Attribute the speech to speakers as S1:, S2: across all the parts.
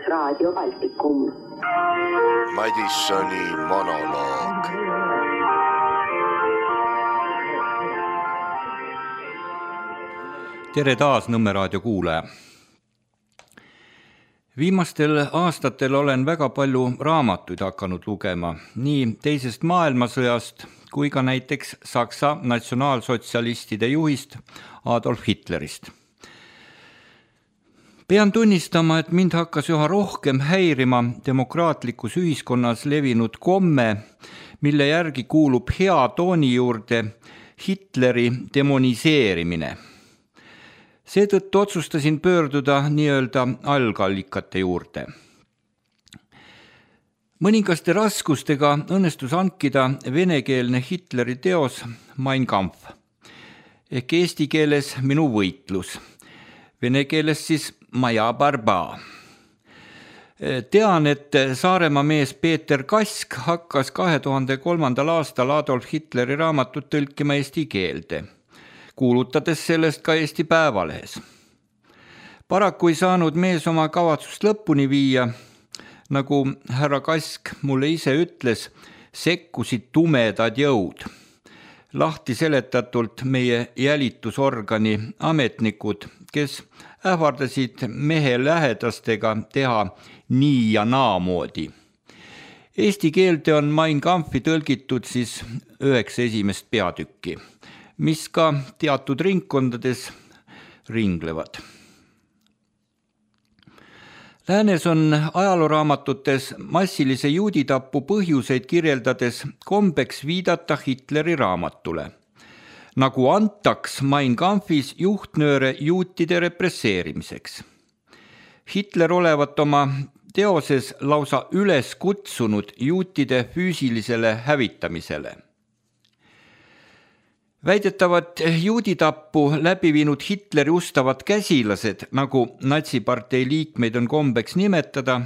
S1: Raadio Baltikum.
S2: Madissoni monoloog.
S3: Tere taas Nõmme raadio kuulaja. Viimastel aastatel olen väga palju raamatuid hakanud lugema, nii teisest maailmasõjast kui ka näiteks Saksa natsionaalsotsialistide juhist Adolf Hitlerist. Pean tunnistama, et mind hakkas üha rohkem häirima demokraatlikus ühiskonnas levinud komme, mille järgi kuulub hea tooni juurde Hitleri demoniseerimine. Seetõttu otsustasin pöörduda nii-öelda algallikate juurde. Mõningaste raskustega õnnestus hankida venekeelne Hitleri teos Mein Kampf ehk eesti keeles Minu võitlus, vene keeles siis Moja barba. Tean, et Saaremaa mees Peeter Kask hakkas 2003. aastal Adolf Hitleri raamatut tõlkima eesti keelde, kuulutades sellest ka Eesti Päevalehes. Paraku ei saanud mees oma kavatsust lõpuni viia, nagu härra Kask mulle ise ütles, sekkusid tumedad jõud. Lahti seletatult meie jälitusorgani ametnikud, kes ähvardasid mehe lähedastega teha nii ja naamoodi. Eesti keelde on Mein Kampfi tõlgitud siis 9 esimest peatükki, mis ka teatud ringkondades ringlevad. Läänes on ajalooraamatutes massilise juuditapu põhjuseid kirjeldades kombeks viidata Hitleri raamatule, nagu antaks Mein Kampfis juhtnööre juutide represseerimiseks. Hitler olevat oma teoses lausa üles kutsunud juutide füüsilisele hävitamisele. Väidetavat juuditappu läbi viinud Hitleri ustavad käsilased, nagu natsipartei liikmeid on kombeks nimetada,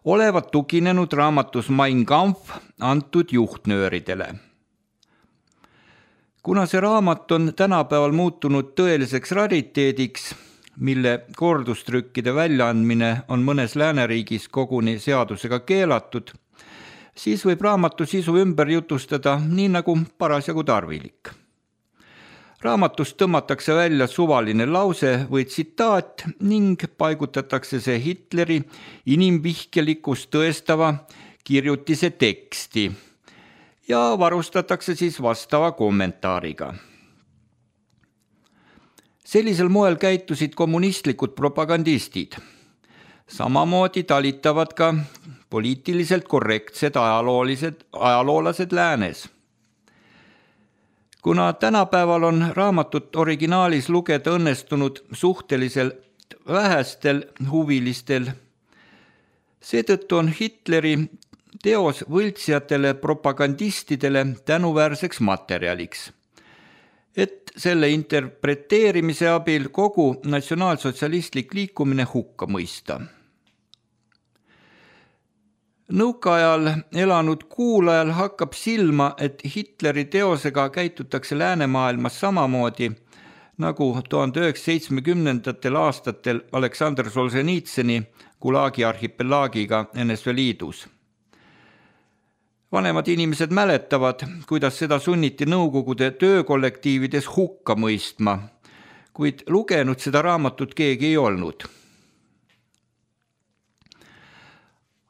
S3: olevat tuginenud raamatus Mein Kampf antud juhtnööridele. Kuna see raamat on tänapäeval muutunud tõeliseks rariteediks, mille kordustrükkide väljaandmine on mõnes lääneriigis koguni seadusega keelatud, siis võib raamatu sisu ümber jutustada nii nagu parasjagu tarvilik. Raamatust tõmmatakse välja suvaline lause või tsitaat ning paigutatakse see Hitleri inimvihkelikkust tõestava kirjutise teksti ja varustatakse siis vastava kommentaariga. Sellisel moel käitusid kommunistlikud propagandistid. Samamoodi talitavad ka poliitiliselt korrektsed ajaloolased läänes. Kuna tänapäeval on raamatut originaalis lugeda õnnestunud suhteliselt vähestel huvilistel, seetõttu on Hitleri teos võltsijatele propagandistidele tänuväärseks materjaliks, et selle interpreteerimise abil kogu natsionaalsotsialistlik liikumine hukka mõista. Nõukaajal elanud kuulajal hakkab silma, et Hitleri teosega käitutakse läänemaailmas samamoodi, nagu 1970. aastatel Aleksandr Solženitsõni Gulagi arhipelaagiga NSV Liidus. Vanemad inimesed mäletavad, kuidas seda sunniti Nõukogude töökollektiivides hukka mõistma, kuid lugenud seda raamatut keegi ei olnud.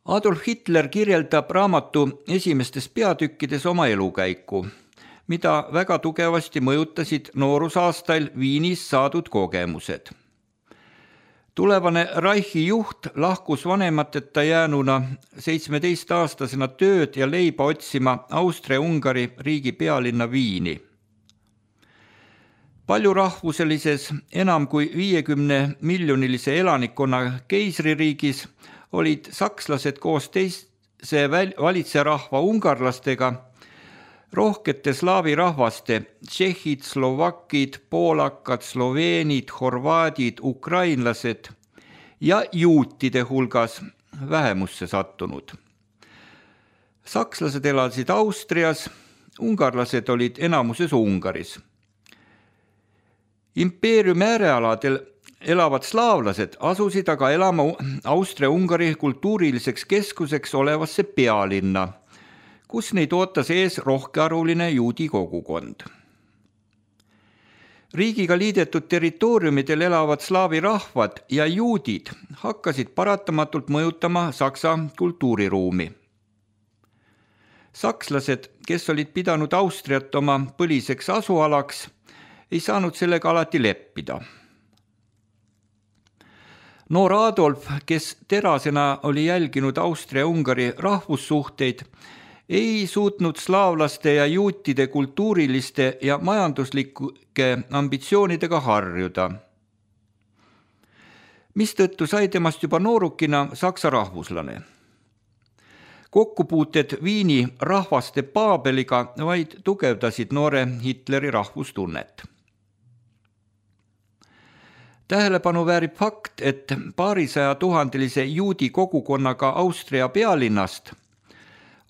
S3: Adolf Hitler kirjeldab raamatu esimestes peatükkides oma elukäiku, mida väga tugevasti mõjutasid noorusaastail Viinis saadud kogemused. Tulevane Reichi juht lahkus vanemateta jäänuna 17-aastasena tööd ja leiba otsima Austria-Ungari riigi pealinna Viini. Paljurahvuselises enam kui 50-miljonilise elanikkonna keisririigis olid sakslased koos teise valitserahva ungarlastega rohkete slaavi rahvaste, tšehhid, slovakid, poolakad, sloveenid, horvaadid, ukrainlased ja juutide hulgas vähemusse sattunud. Sakslased elasid Austrias, ungarlased olid enamuses Ungaris. Impeeriumi äärealadel elavad slaavlased asusid aga elama Austria-Ungari kultuuriliseks keskuseks olevasse pealinna, kus neid ootas ees rohkearvuline juudi kogukond. Riigiga liidetud territooriumidel elavad slaavi rahvad ja juudid hakkasid paratamatult mõjutama Saksa kultuuriruumi. Sakslased, kes olid pidanud Austriat oma põliseks asualaks, ei saanud sellega alati leppida. Noor Adolf, kes terasena oli jälginud Austria-Ungari rahvussuhteid, ei suutnud slaavlaste ja juutide kultuuriliste ja majanduslike ambitsioonidega harjuda, mistõttu sai temast juba noorukina saksa rahvuslane. Kokkupuuted Viini rahvaste Paabeliga vaid tugevdasid noore Hitleri rahvustunnet. Tähelepanu väärib fakt, et 200 000 juudi kogukonnaga Austria pealinnast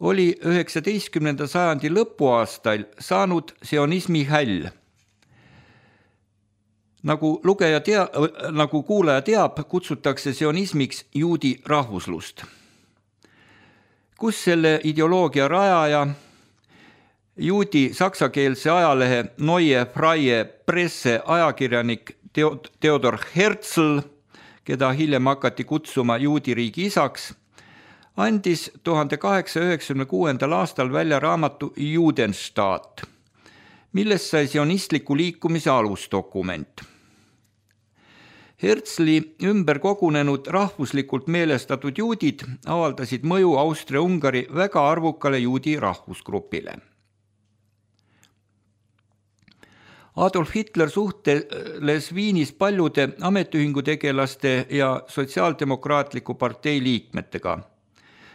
S3: oli 19. sajandi lõpuaastail saanud sionismi häll. Nagu kuulaja teab, kutsutakse sionismiks juudi rahvuslust, kus selle ideoloogia rajaja, juudi saksakeelse ajalehe Neue Freie Presse ajakirjanik Theodor Herzl, keda hiljem hakati kutsuma juudi riigi isaks, andis 1896. aastal välja raamatu Judenstaat, millest sai sionistliku liikumise alusdokument. Herzli ümber kogunenud rahvuslikult meelestatud juudid avaldasid mõju Austria-Ungari väga arvukale juudi rahvusgrupile. Adolf Hitler suhtles Viinis paljude ametiühingutegelaste ja sotsiaaldemokraatliku partei liikmetega,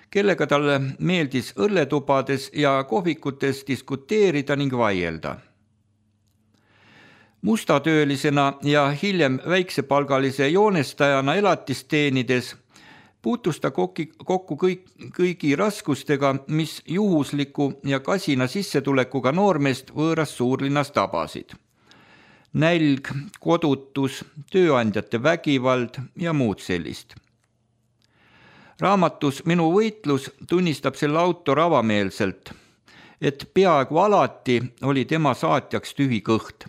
S3: kellega talle meeldis õlletubades ja kohvikutes diskuteerida ning vaielda. Mustatöölisena ja hiljem väiksepalgalise joonestajana elatist teenides puutus ta kokku kõigi raskustega, mis juhusliku ja kasina sissetulekuga noormeest võõras suurlinnas tabasid. Nälg, kodutus, tööandjate vägivald ja muud sellist. Raamatus Minu võitlus tunnistab selle autor avameelselt, et peaaegu alati oli tema saatjaks tühi kõht.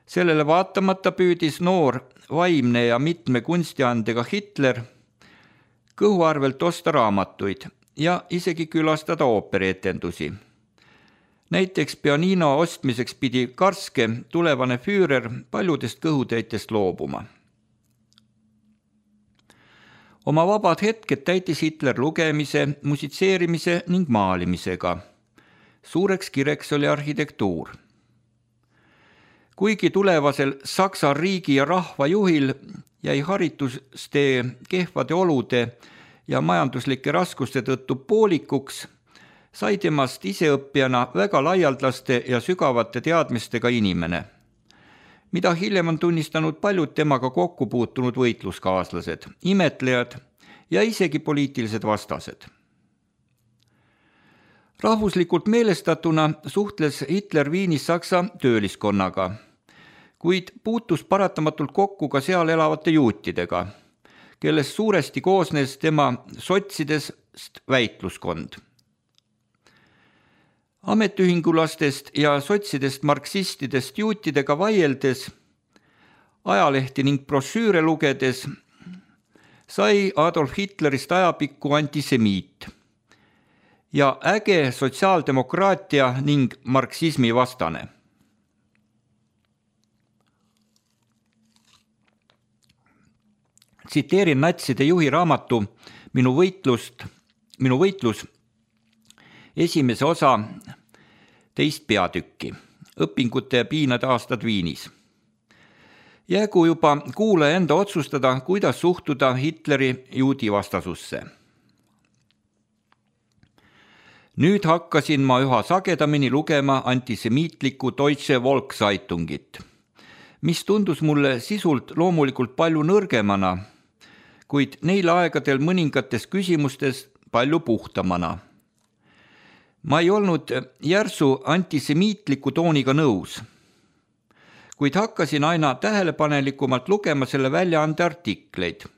S3: Sellele vaatamata püüdis noor, vaimne ja mitme kunstiandega Hitler kõhuarvelt osta raamatuid ja isegi külastada ooperietendusi. Näiteks pianino ostmiseks pidi Karske, tulevane Führer, paljudest kõhutäitest loobuma. Oma vabad hetked täitis Hitler lugemise, musitseerimise ning maalimisega. Suureks kireks oli arhitektuur. Kuigi tulevasel Saksa riigi ja rahva juhil jäi haritustee kehvade olude ja majanduslike raskuste tõttu poolikuks, sai temast iseõppijana väga laialdaste ja sügavate teadmistega inimene, mida hiljem on tunnistanud paljud temaga kokku puutunud võitluskaaslased, imetlejad ja isegi poliitilised vastased. Rahvuslikult meelestatuna suhtles Hitler Viinis Saksa tööliskonnaga, kuid puutus paratamatult kokku ka seal elavate juutidega, kellest suuresti koosnes tema sotsidest väitluskond. Ametiühingulastest ja sotsidest marksistidest juutidega vaieldes, ajalehti ning brošüüre lugedes, sai Adolf Hitlerist ajapikku antisemiit ja äge sotsiaaldemokraatia ning marksismi vastane. Tsiteerin natside juhi raamatu Minu võitlus esimese osa 2. peatükki. õpingute ja piinade aastad Viinis. Jäägu juba kuulaja enda otsustada, kuidas suhtuda Hitleri juudi vastasusse. Nüüd hakkasin ma üha sagedamini lugema antisemiitlikku Deutsche Volkszeitungit, mis tundus mulle sisult loomulikult palju nõrgemana, kuid neil aegadel mõningates küsimustes palju puhtamana. Ma ei olnud järsu antisemiitliku tooniga nõus, kuid hakkasin aina tähelepanelikumalt lugema selle väljaande artikleid,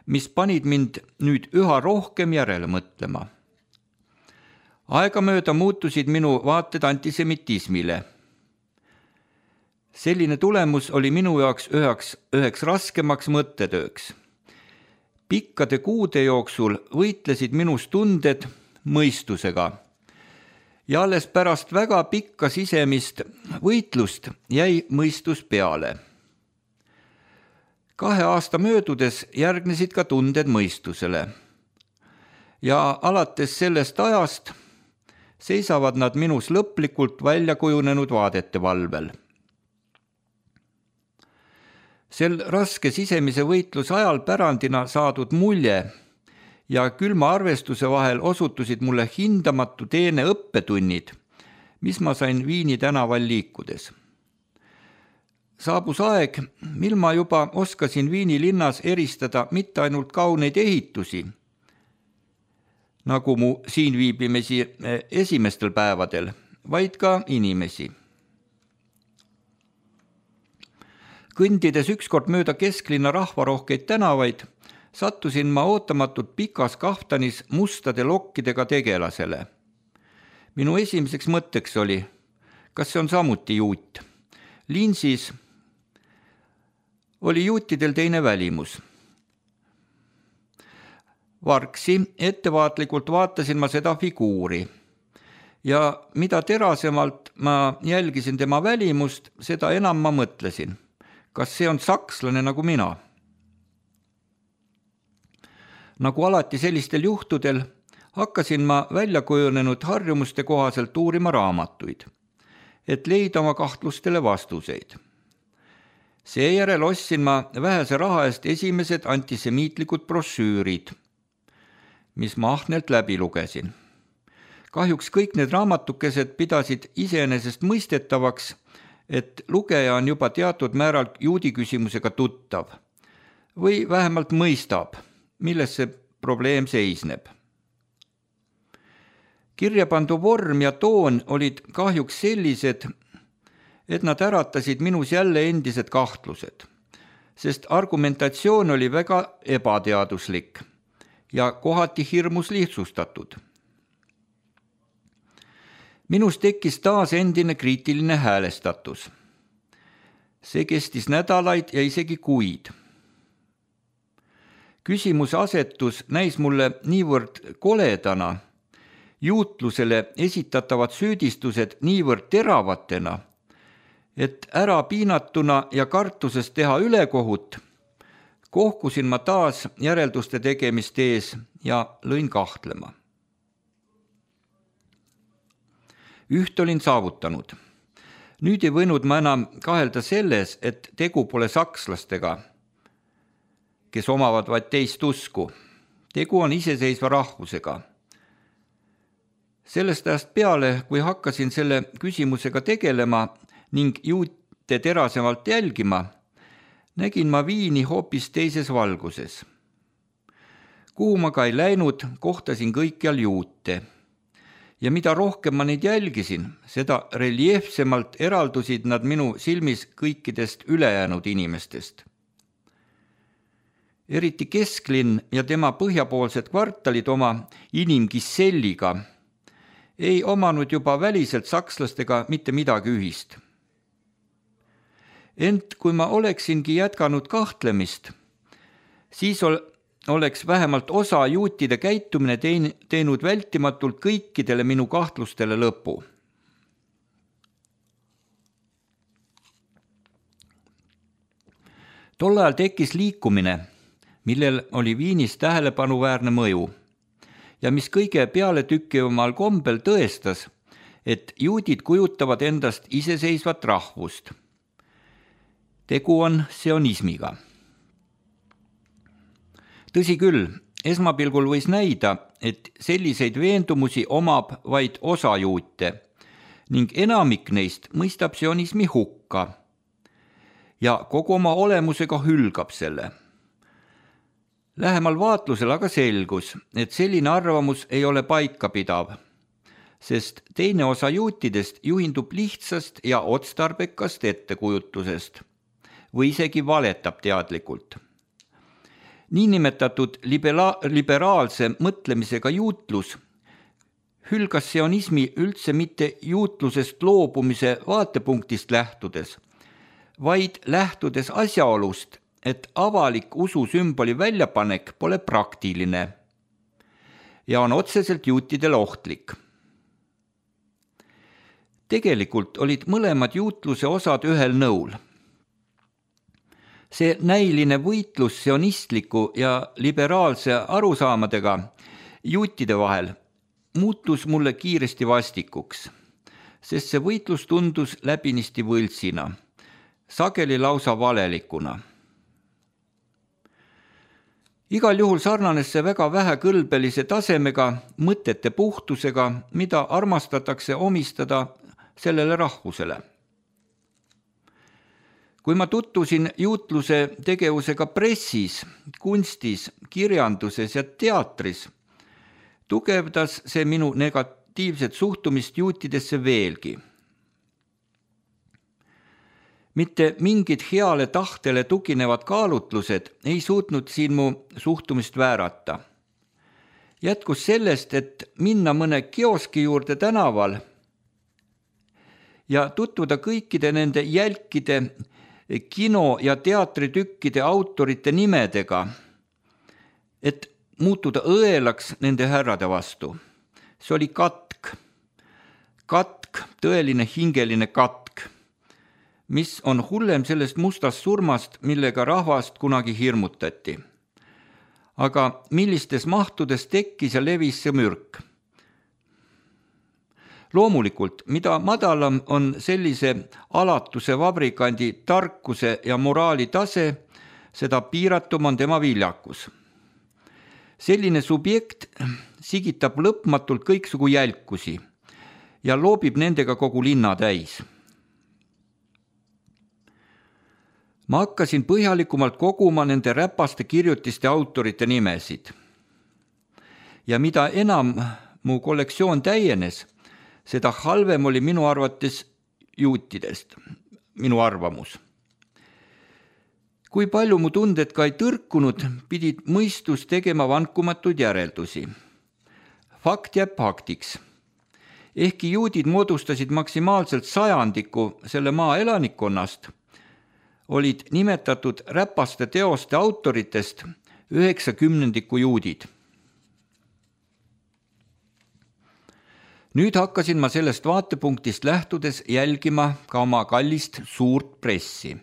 S3: mis panid mind nüüd üha rohkem järele mõtlema. Aegamööda muutusid minu vaated antisemitismile. Selline tulemus oli minu jaoks üheks raskemaks mõttetööks. Pikkade kuude jooksul võitlesid minus tunded mõistusega ja alles pärast väga pikka sisemist võitlust jäi mõistus peale. 2 aasta möödudes järgnesid ka tunded mõistusele ja alates sellest ajast seisavad nad minus lõplikult välja kujunenud vaadete valvel. Sel raske sisemise võitluse ajal pärandina saadud mulje ja külma arvestuse vahel osutusid mulle hindamatu teene õppetunnid, mis ma sain Viini tänaval liikudes. Saabus aeg, mil ma juba oskasin Viini linnas eristada mitte ainult kauneid ehitusi, nagu mu siin viibimisi esimestel päevadel, vaid ka inimesi. Kõndides ükskord mööda kesklinna rahvarohkeid tänavaid, sattusin ma ootamatult pikas kaftanis mustade lokkidega tegelasele. Minu esimeseks mõtteks oli, kas see on samuti juut. Linsis oli juutidel teine välimus. Vargsi ettevaatlikult vaatasin ma seda figuuri ja mida terasemalt ma jälgisin tema välimust, seda enam ma mõtlesin, kas see on sakslane nagu mina. Nagu alati sellistel juhtudel hakkasin ma välja kujunenud harjumuste kohaselt uurima raamatuid, et leida oma kahtlustele vastuseid. Seejärel ostsin ma vähese raha eest esimesed antisemiitlikud brošüürid, mis ma ahnelt läbi lugesin. Kahjuks kõik need raamatukesed pidasid iseenesest mõistetavaks, et lugeja on juba teatud määral juudi küsimusega tuttav või vähemalt mõistab, milles see probleem seisneb. Kirjapandu vorm ja toon olid kahjuks sellised, et nad äratasid minus jälle endised kahtlused, sest argumentatsioon oli väga ebateaduslik ja kohati hirmus lihtsustatud. Minus tekkis taas endine kriitiline häälestatus. See kestis nädalaid ja isegi kuid. Küsimuse asetus näis mulle niivõrd koledana, juutlusele esitatavad süüdistused niivõrd teravatena, et ära piinatuna ja kartusest teha ülekohut, kohkusin ma taas järelduste tegemist ees ja lõin kahtlema. Üht olin saavutanud. Nüüd ei võinud ma enam kahelda selles, et tegu pole sakslastega, kes omavad vaid teist usku. Tegu on iseseisva rahvusega. Sellest ajast peale, kui hakkasin selle küsimusega tegelema ning juute terasemalt jälgima, nägin ma Viini hoopis teises valguses. Kuhu ma ka ei läinud, kohtasin kõikjal juute. Ja mida rohkem ma neid jälgisin, seda reljeefsemalt eraldusid nad minu silmis kõikidest ülejäänud inimestest. Eriti kesklinn ja tema põhjapoolsed kvartalid oma inimgisselliga ei omanud juba väliselt sakslastega mitte midagi ühist. Ent kui ma oleksingi jätkanud kahtlemist, siis oleks vähemalt osa juutide käitumine teinud vältimatult kõikidele minu kahtlustele lõpu. Tol ajal tekkis liikumine, millel oli Viinis tähelepanuväärne mõju ja mis kõige pealetükkivamal kombel tõestas, et juudid kujutavad endast iseseisvat rahvust. Tegu on sionismiga. Tõsi küll, esmapilgul võis näida, et selliseid veendumusi omab vaid osa juute ning enamik neist mõistab sionismi hukka ja kogu oma olemusega hülgab selle. Lähemal vaatlusel aga selgus, et selline arvamus ei ole paikapidav, sest teine osa juutidest juhindub lihtsast ja otstarbekast ettekujutusest või isegi valetab teadlikult. Niinimetatud liberaalse mõtlemisega juutlus hülgas sionismi üldse mitte juutlusest loobumise vaatepunktist lähtudes, vaid lähtudes asjaolust, et avalik ususümboli väljapanek pole praktiline ja on otseselt juutidele ohtlik. Tegelikult olid mõlemad juutluse osad ühel nõul. See näiline võitlus sionistliku ja liberaalse arusaamadega juutide vahel muutus mulle kiiresti vastikuks, sest see võitlus tundus läbinisti võltsina, sageli lausa valelikuna. Igal juhul sarnanes see väga vähekõlbelise tasemega, mõtete puhtusega, mida armastatakse omistada sellele rahvusele. Kui ma tutvusin juutluse tegevusega pressis, kunstis, kirjanduses ja teatris, tugevdas see minu negatiivset suhtumist juutidesse veelgi. Mitte mingid heale tahtele tuginevad kaalutlused ei suutnud siin mu suhtumist väärata. Jätkus sellest, et minna mõne kioski juurde tänaval ja tutvuda kõikide nende jälkide kino- ja teatritükkide autorite nimedega, et muutuda õelaks nende härrade vastu. See oli katk, tõeline hingeline katk, mis on hullem sellest mustast surmast, millega rahvast kunagi hirmutati. Aga millistes mahtudes tekkis ja levis see mürk? Loomulikult, mida madalam on sellise alatuse vabrikandi tarkuse ja moraali tase, seda piiratum on tema viljakus. Selline subjekt sigitab lõpmatult kõiksugu jälkusi ja loobib nendega kogu linna täis. Ma hakkasin põhjalikumalt koguma nende räpaste kirjutiste autorite nimesid. Ja mida enam mu kollektsioon täienes, seda halvem oli minu arvates juutidest, minu arvamus. Kui palju mu tunded ka ei tõrkunud, pidid mõistus tegema vankumatuid järeldusi. Fakt jääb faktiks. Ehkki juudid moodustasid maksimaalselt sajandiku selle maa elanikkonnast, olid nimetatud räpaste teoste autoritest 90% juudid. Nüüd hakkasin ma sellest vaatepunktist lähtudes jälgima ka oma kallist suurt pressi.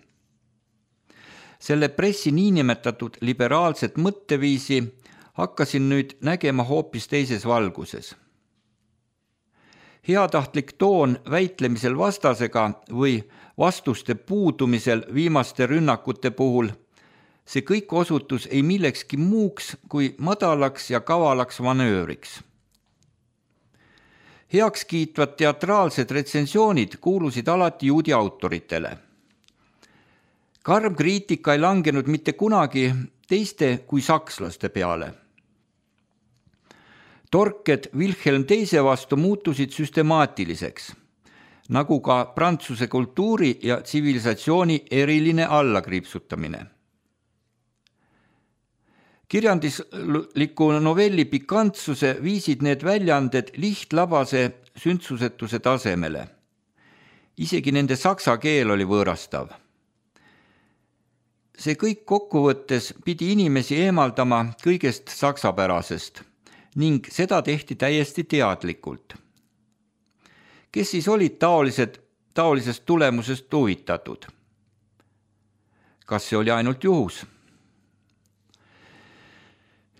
S3: Selle pressi niinimetatud liberaalset mõtteviisi hakkasin nüüd nägema hoopis teises valguses. Heatahtlik toon väitlemisel vastasega või vastuste puudumisel viimaste rünnakute puhul, see kõik osutus ei millekski muuks kui madalaks ja kavalaks manööriks. Heakskiitvad teatraalsed retsensioonid kuulusid alati juudi autoritele. Karm kriitika ei langenud mitte kunagi teiste kui sakslaste peale. Torked Wilhelm II vastu muutusid süstemaatiliseks, nagu ka prantsuse kultuuri ja tsivilisatsiooni eriline allakriipsutamine. Kirjandusliku novelli pikantsuse viisid need väljaanded lihtlabase sündsusetuse tasemele. Isegi nende saksa keel oli võõrastav. See kõik kokkuvõttes pidi inimesi eemaldama kõigest saksapärasest ning seda tehti täiesti teadlikult. Kes siis olid taolisest tulemusest huvitatud? Kas see oli ainult juhus?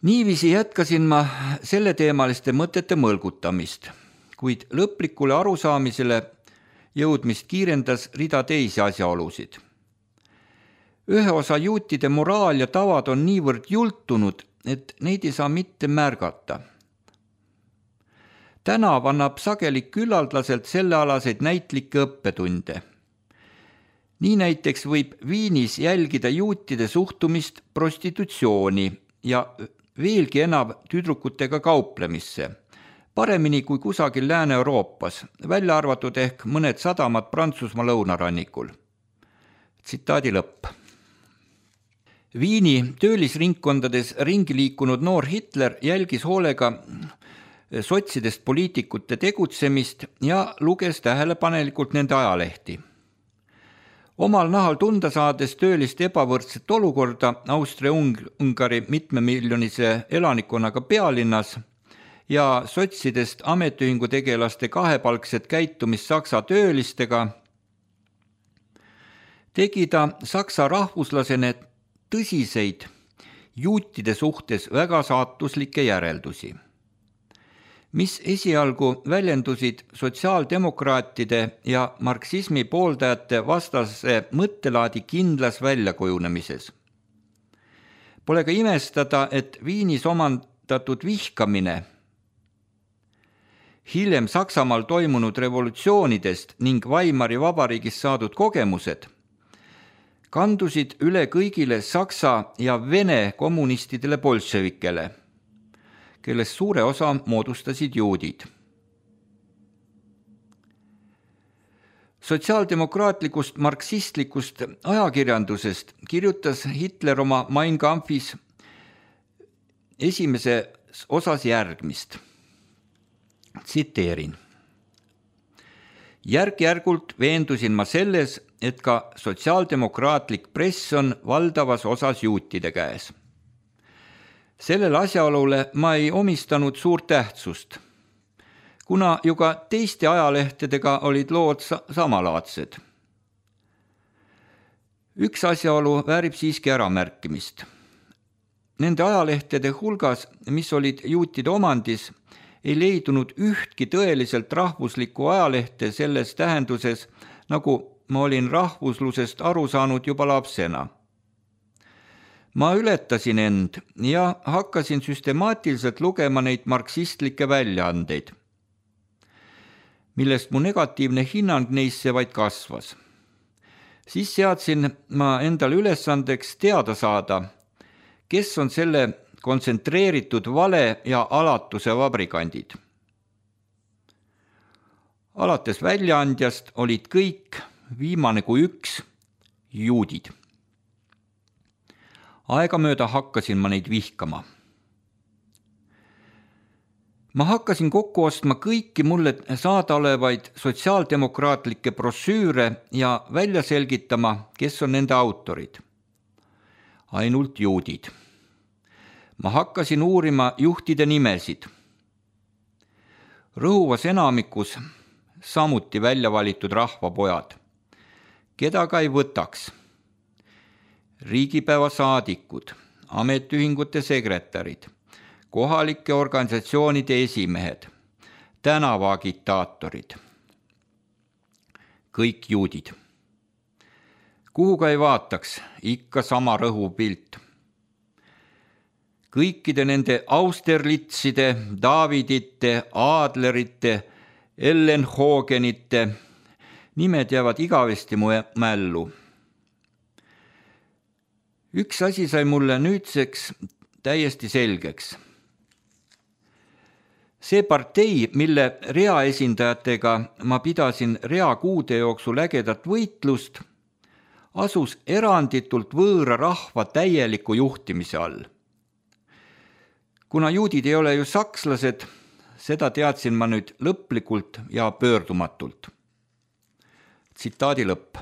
S3: Niiviisi jätkasin ma selleteemaliste mõtete mõlgutamist, kuid lõplikule arusaamisele jõudmist kiirendas rida teisi asjaolusid. Ühe osa juutide moraal ja tavad on niivõrd jultunud, et neid ei saa mitte märgata. Tänav annab sageli küllaldaselt sellealaseid näitlikke õppetunde. Nii näiteks võib Viinis jälgida juutide suhtumist prostitutsiooni ja veelgi enam tüdrukutega kauplemisse, paremini kui kusagil Lääne-Euroopas, välja arvatud ehk mõned sadamad Prantsusmaa lõunarannikul. Tsitaadi lõpp. Viini töölisringkondades ringi liikunud noor Hitler jälgis hoolega sotsidest poliitikute tegutsemist ja luges tähelepanelikult nende ajalehti. Omal nahal tunda saades tööliste ebavõrdset olukorda Austria-Ungari mitmemiljonise elanikkonnaga pealinnas ja sotsidest ametiühingu tegelaste kahepalkset käitumist Saksa töölistega, tegi ta saksa rahvuslasena tõsiseid juutide suhtes väga saatuslikke järeldusi, mis esialgu väljendusid sotsiaaldemokraatide ja marksismi pooldajate vastase mõttelaadi kindlas väljakujunemises. Pole ka imestada, et Viinis omandatud vihkamine hiljem Saksamaal toimunud revolutsioonidest ning Weimari vabariigis saadud kogemused kandusid üle kõigile saksa ja vene kommunistidele bolševikele, kellest suure osa moodustasid juudid. Sotsiaaldemokraatlikust marksistlikust ajakirjandusest kirjutas Hitler oma Mein Kampfis esimeses osas järgmist. Tsiteerin. Järk-järgult veendusin ma selles, et ka sotsiaaldemokraatlik press on valdavas osas juutide käes. Sellele asjaolule ma ei omistanud suurt tähtsust, kuna ju ka teiste ajalehtedega olid lood samalaadsed. Üks asjaolu väärib siiski äramärkimist. Nende ajalehtede hulgas, mis olid juutide omandis, ei leidunud ühtki tõeliselt rahvuslikku ajalehte selles tähenduses, nagu ma olin rahvuslusest aru saanud juba lapsena. Ma ületasin end ja hakkasin süstemaatiliselt lugema neid marksistlikke väljaandeid, millest mu negatiivne hinnang neisse vaid kasvas. Siis seadsin ma endale ülesandeks teada saada, kes on selle kontsentreeritud vale ja alatuse vabrikandid. Alates väljaandjast olid kõik, viimane kui üks, juudid. Aegamööda hakkasin ma neid vihkama. Ma hakkasin kokku ostma kõiki mulle saadaolevaid sotsiaaldemokraatlikke brošüüre ja välja selgitama, kes on nende autorid. Ainult juudid. Ma hakkasin uurima juhtide nimesid. Rõhuvas enamikus samuti välja valitud rahvapojad, keda ka ei võtaks. Riigipäeva saadikud, ametiühingute sekretärid, kohalike organisatsioonide esimehed, tänavaagitaatorid. Kõik juudid. Kuhu ka ei vaataks, ikka sama rõhupilt. Kõikide nende Austerlitzide, Davidite, Adlerite, Ellenhogenite nimed jäävad igavesti mu mällu. Üks asi sai mulle nüüdseks täiesti selgeks. See partei, mille reaesindajatega ma pidasin reakuude jooksul ägedat võitlust, asus eranditult võõra rahva täieliku juhtimise all. Kuna juudid ei ole ju sakslased, seda teadsin ma nüüd lõplikult ja pöördumatult. Tsitaadi lõpp.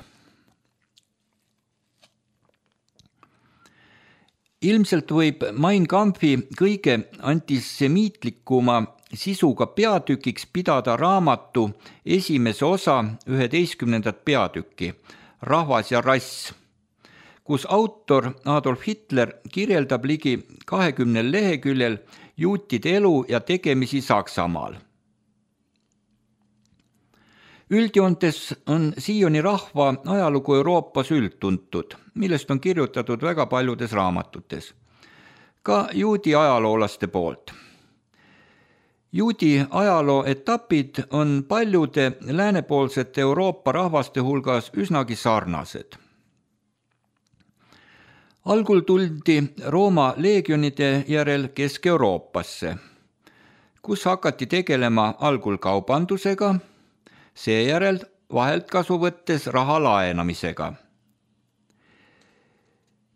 S3: Ilmselt võib Mein Kampfi kõige antisemiitlikuma sisuga peatükiks pidada raamatu esimese osa 11. peatükki, Rahvas ja rass, kus autor Adolf Hitler kirjeldab ligi 20 leheküljel juutide elu ja tegemisi Saksamaal. Üldjoontes on siiani rahva ajalugu Euroopas üldtuntud, millest on kirjutatud väga paljudes raamatutes, ka juudi ajaloolaste poolt. Juudi ajaloo etapid on paljude läänepoolsete Euroopa rahvaste hulgas üsnagi sarnased. Algul tuldi Rooma leegionide järel Kesk-Euroopasse, kus hakati tegelema algul kaubandusega, seejärel vahelt kasu võttes raha laenamisega.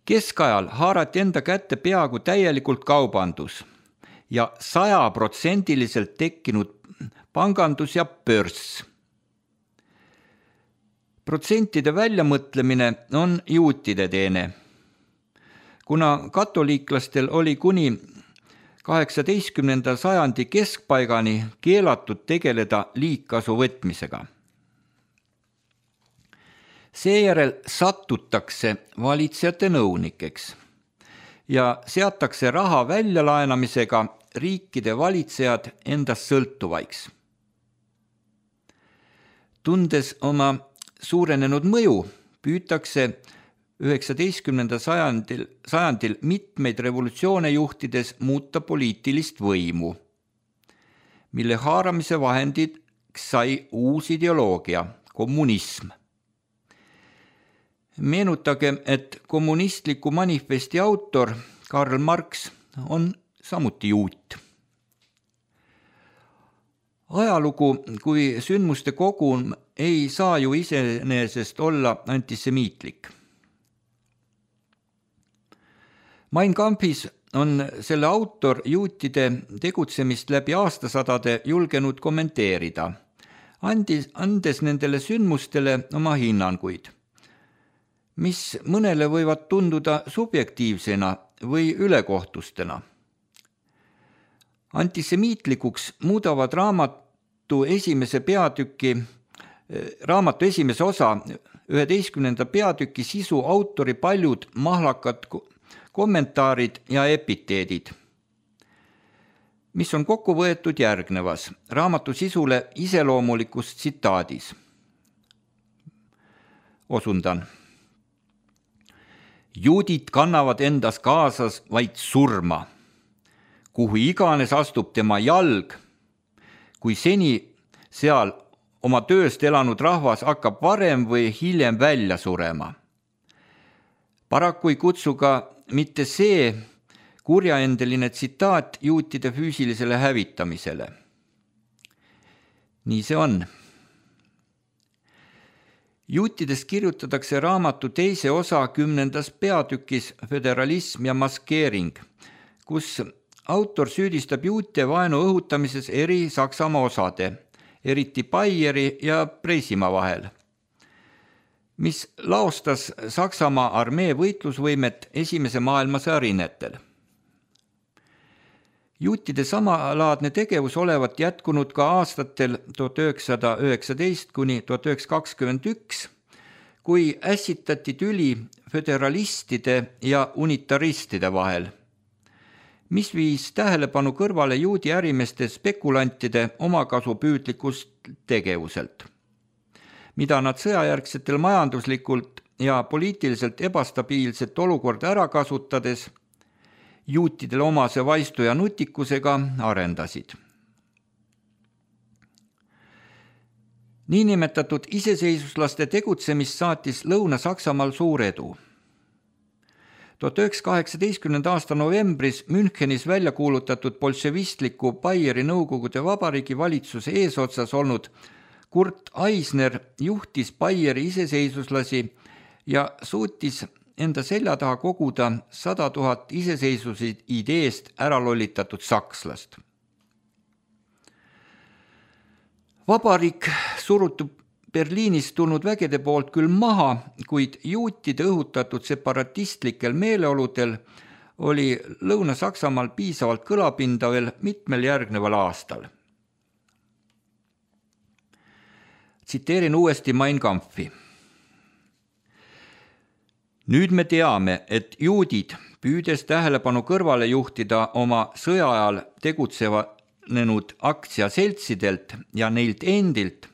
S3: Keskajal haarati enda kätte peaaegu täielikult kaubandus ja 100% tekkinud pangandus ja börs. Protsentide väljamõtlemine on juutide teene. Kuna katoliiklastel oli kuni 18. sajandi keskpaigani keelatud tegeleda liigkasu võtmisega. Seejärel satutakse valitsejate nõunikeks ja seatakse raha väljalaenamisega riikide valitsejad endast sõltuvaiks. Tundes oma suurenenud mõju, püütakse 19. sajandil mitmeid revolutsioone juhtides muuta poliitilist võimu, mille haaramise vahendid sai uus ideoloogia, kommunism. Meenutage, et kommunistliku manifesti autor Karl Marx on samuti juut. Ajalugu kui sündmuste kogum ei saa ju iseenesest olla antisemiitlik. Mein Kampfis on selle autor juutide tegutsemist läbi aastasadade julgenud kommenteerida, andes nendele sündmustele oma hinnanguid, mis mõnele võivad tunduda subjektiivsena või ülekohtustena. Antisemiitlikuks muudavad raamatu esimese osa 11. peatüki sisu autori paljud mahlakad kommentaarid ja epiteedid, mis on kokku võetud järgnevas raamatu sisule iseloomulikus tsitaadis. Osundan. Juudid kannavad endas kaasas vaid surma, kuhu iganes astub tema jalg, kui seni seal oma tööst elanud rahvas hakkab varem või hiljem välja surema. Paraku ei kutsu ka mitte see kurjaendeline tsitaat juutide füüsilisele hävitamisele. Nii see on. Juutidest kirjutatakse raamatu teise osa 10. peatükis Föderalism ja maskeering, kus autor süüdistab juute vaenu õhutamises eri Saksamaa osade, eriti Baieri ja Preisimaa vahel, mis laostas Saksamaa armee võitlusvõimet esimese maailmasõja rinnetel. Juutide samalaadne tegevus olevat jätkunud ka aastatel 1919 kuni 1921, kui ässitati tüli föderalistide ja unitaristide vahel, mis viis tähelepanu kõrvale juudi ärimeeste spekulantide omakasupüüdlikust tegevuselt, mida nad sõjajärgsetel majanduslikult ja poliitiliselt ebastabiilset olukorda ära kasutades juutidele omase vaistu ja nutikusega arendasid. Niinimetatud iseseisvuslaste tegutsemist saatis Lõuna-Saksamaal suur edu. 1918. aasta novembris Münchenis välja kuulutatud bolševistliku Baieri Nõukogude Vabariigi valitsuse eesotsas olnud Kurt Eisner juhtis Baieri iseseisvuslasi ja suutis enda selja taha koguda 100 000 iseseisvuse ideest ära lollitatud sakslast. Vabariik surutub Berliinist tulnud vägede poolt küll maha, kuid juutide õhutatud separatistlikel meeleoludel oli Lõuna-Saksamaal piisavalt kõlapinda veel mitmel järgneval aastal. Tsiteerin uuesti Mein Kampfi. Nüüd me teame, et juudid, püüdes tähelepanu kõrvale juhtida oma sõja ajal tegutsenud aktsiaseltsidelt ja neilt endilt,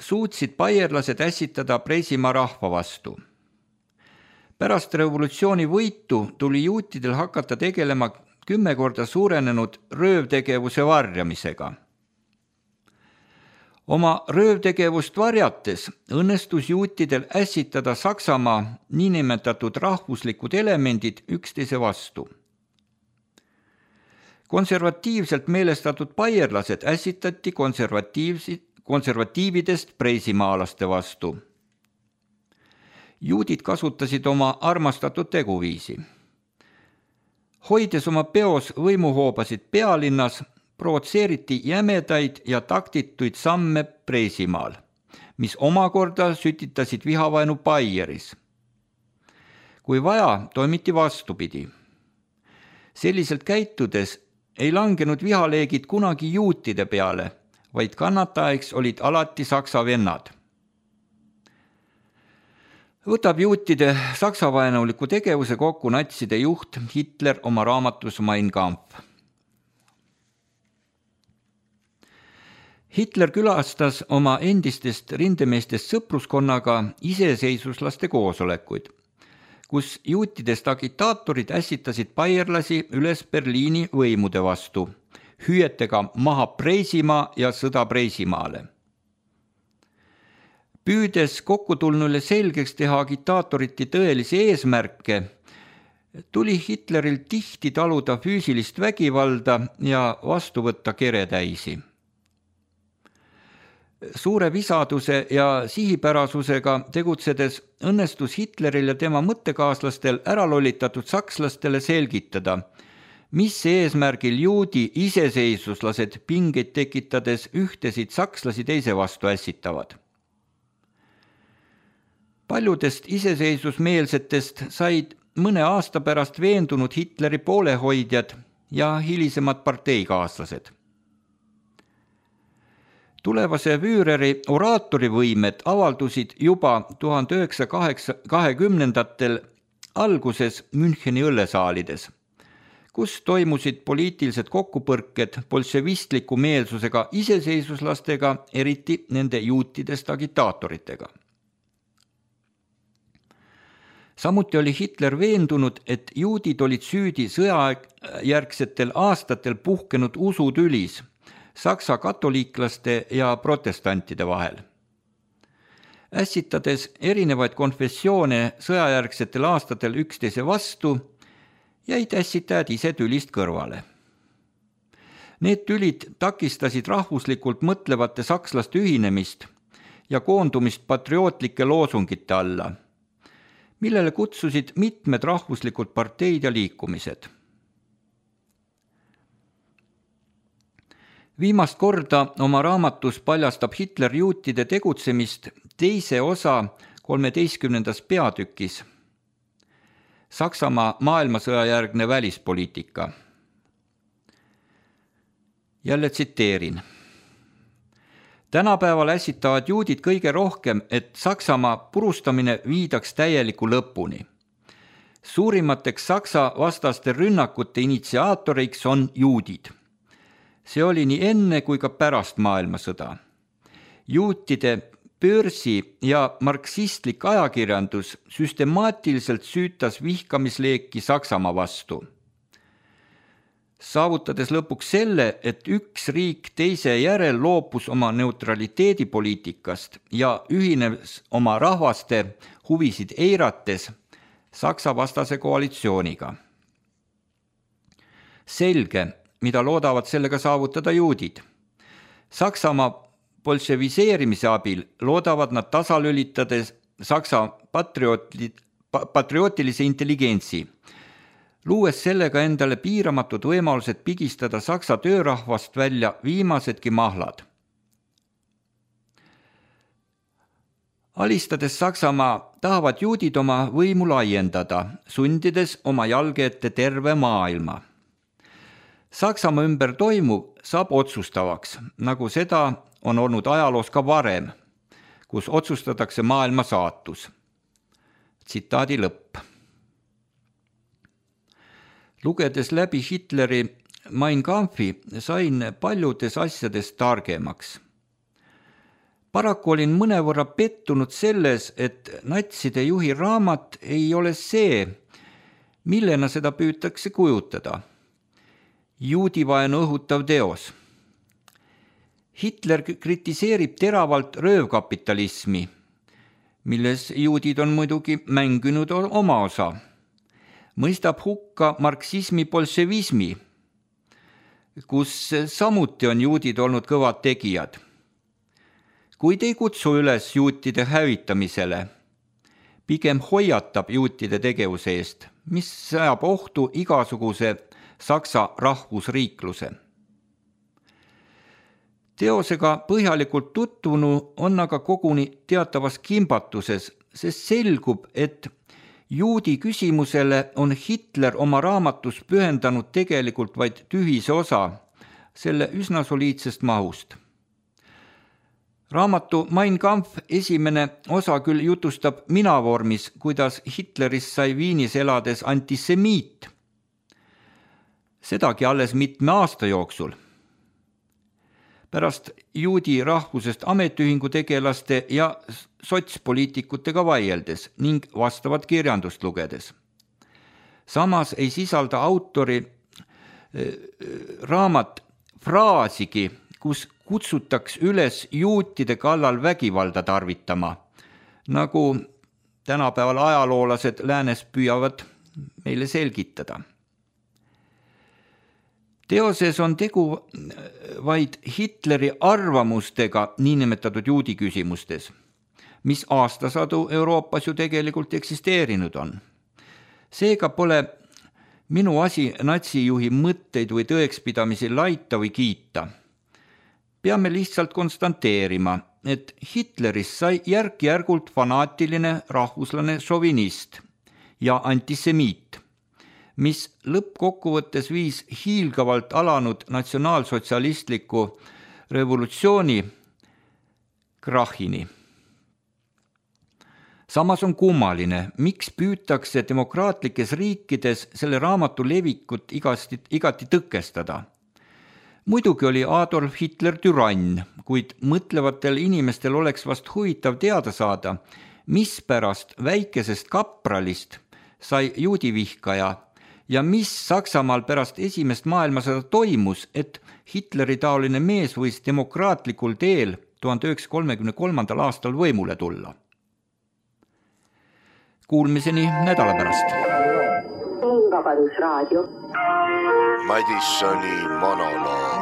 S3: suutsid baierlased ässitada Preisimaa rahva vastu. Pärast revolutsiooni võitu tuli juutidel hakata tegelema 10 korda suurenenud röövtegevuse varjamisega. Oma röövtegevust varjates õnnestus juutidel ässitada Saksamaa niinimetatud rahvuslikud elemendid üksteise vastu. Konservatiivselt meelestatud baierlased ässitati konservatiividest preisimaalaste vastu. Juudid kasutasid oma armastatud teguviisi. Hoides oma peos võimuhoobasid pealinnas, provotseeriti jämedaid ja taktituid samme Preisimaal, mis omakorda sütitasid vihavaenu Baieris. Kui vaja, toimiti vastupidi. Selliselt käitudes ei langenud vihaleegid kunagi juutide peale, vaid kannataeks olid alati saksa vennad. Võtab juutide saksavaenuliku tegevuse kokku natside juht Hitler oma raamatus Mein Kampf. Hitler külastas oma endistest rindemeestest sõpruskonnaga iseseisvuslaste koosolekuid, kus juutidest agitaatorid ässitasid baierlasi üles Berliini võimude vastu, hüüetega maha Preisimaa ja sõda Preisimaale. Püüdes kokkutulnule selgeks teha agitaatoriti tõelisi eesmärke, tuli Hitleril tihti taluda füüsilist vägivalda ja vastu võtta keretäisi. Suure visaduse ja sihipärasusega tegutsedes õnnestus Hitleril ja tema mõttekaaslastel äralollitatud sakslastele selgitada, mis eesmärgil juudi iseseisvuslased pingeid tekitades ühtesid sakslasi teise vastu ässitavad. Paljudest iseseisvusmeelsetest said mõne aasta pärast veendunud Hitleri poolehoidjad ja hilisemad parteikaaslased. Tulevase Führeri oraatorivõimed avaldusid juba 1920-ndatel alguses Müncheni õllesaalides, kus toimusid poliitilised kokkupõrked bolševistliku meelsusega iseseisvuslastega, eriti nende juutidest agitaatoritega. Samuti oli Hitler veendunud, et juudid olid süüdi sõjajärgsetel aastatel puhkenud usutülis saksa katoliiklaste ja protestantide vahel. Ässitades erinevaid konfessioone sõjajärgsetel aastatel üksteise vastu, jäid ässitajad ise tülist kõrvale. Need tülid takistasid rahvuslikult mõtlevate sakslaste ühinemist ja koondumist patriootlike loosungite alla, millele kutsusid mitmed rahvuslikud parteid ja liikumised. Viimast korda oma raamatus paljastab Hitler juutide tegutsemist teise osa 13. peatükis Saksamaa maailmasõjajärgne välispoliitika. Jälle tsiteerin. Tänapäeval ässitavad juudid kõige rohkem, et Saksamaa purustamine viidaks täieliku lõpuni. Suurimateks Saksa vastaste rünnakute initsiaatoriks on juudid. See oli nii enne kui ka pärast maailmasõda. Juutide börsi ja marksistlik ajakirjandus süstemaatiliselt süütas vihkamisleeki Saksamaa vastu. Saavutades lõpuks selle, et üks riik teise järel loobus oma neutraliteedipoliitikast ja ühines oma rahvaste huvisid eirates Saksa vastase koalitsiooniga. Selge, mida loodavad sellega saavutada juudid. Saksamaa bolševiseerimise abil loodavad nad tasalülitades Saksa patriootilise intelligentsi, luues sellega endale piiramatud võimalused pigistada Saksa töörahvast välja viimasedki mahlad. Alistades Saksamaa tahavad juudid oma võimu laiendada, sundides oma jalge ette terve maailma. Saksamaa ümber toimuv saab otsustavaks, nagu seda on olnud ajaloos ka varem, kus otsustatakse maailma saatus. Tsitaadi lõpp. Lugedes läbi Hitleri Mein Kampfi sain paljudes asjades targemaks. Paraku olin mõnevõrra pettunud selles, et natside juhi raamat ei ole see, millena seda püütakse kujutada. Juudivaenu õhutav teos. Hitler kritiseerib teravalt röövkapitalismi, milles juudid on muidugi mänginud oma osa. Mõistab hukka marksismi bolševismi, kus samuti on juudid olnud kõvad tegijad. Kuid ei kutsu üles juutide hävitamisele, pigem hoiatab juutide tegevuse eest, mis sajab ohtu igasuguse Saksa rahvusriikluse. Teosega põhjalikult tutvunu on aga koguni teatavas kimbatuses, sest selgub, et juudi küsimusele on Hitler oma raamatus pühendanud tegelikult vaid tühise osa selle üsna soliidsest mahust. Raamatu Mein Kampf esimene osa küll jutustab minavormis, kuidas Hitlerist sai Viinis elades antisemiit. Sedagi alles mitme aasta jooksul. Pärast juudi rahvusest ametiühingu tegelaste ja sotspoliitikutega vaieldes ning vastavat kirjandust lugedes. Samas ei sisalda autori raamat fraasigi, kus kutsutaks üles juutide kallal vägivalda tarvitama, nagu tänapäeval ajaloolased läänes püüavad meile selgitada. Teoses on tegu vaid Hitleri arvamustega niinimetatud juudi küsimustes, mis aastasadu Euroopas ju tegelikult eksisteerinud on. Seega pole minu asi natsijuhi mõtteid või tõekspidamisi laita või kiita. Peame lihtsalt konstanteerima, et Hitlerist sai järk-järgult fanaatiline rahvuslane šovinist ja antisemiit, mis lõppkokkuvõttes viis hiilgavalt alanud natsionaalsotsialistliku revolutsiooni krahhini. Samas on kummaline, miks püütakse demokraatlikes riikides selle raamatu levikut igati tõkestada. Muidugi oli Adolf Hitler türann, kuid mõtlevatel inimestel oleks vast huvitav teada saada, mispärast väikesest kapralist sai juudivihkaja ja mis Saksamaal pärast esimest maailmasõda toimus, et Hitleri taoline mees võis demokraatlikul teel 1933. aastal võimule tulla. Kuulmiseni nädala pärast.
S1: Vabadusraadio.
S2: Madissoni monoloog.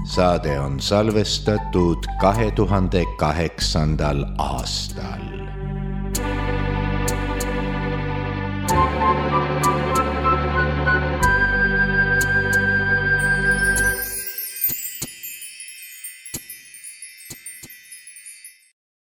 S2: Saade on salvestatud 2008. aastal.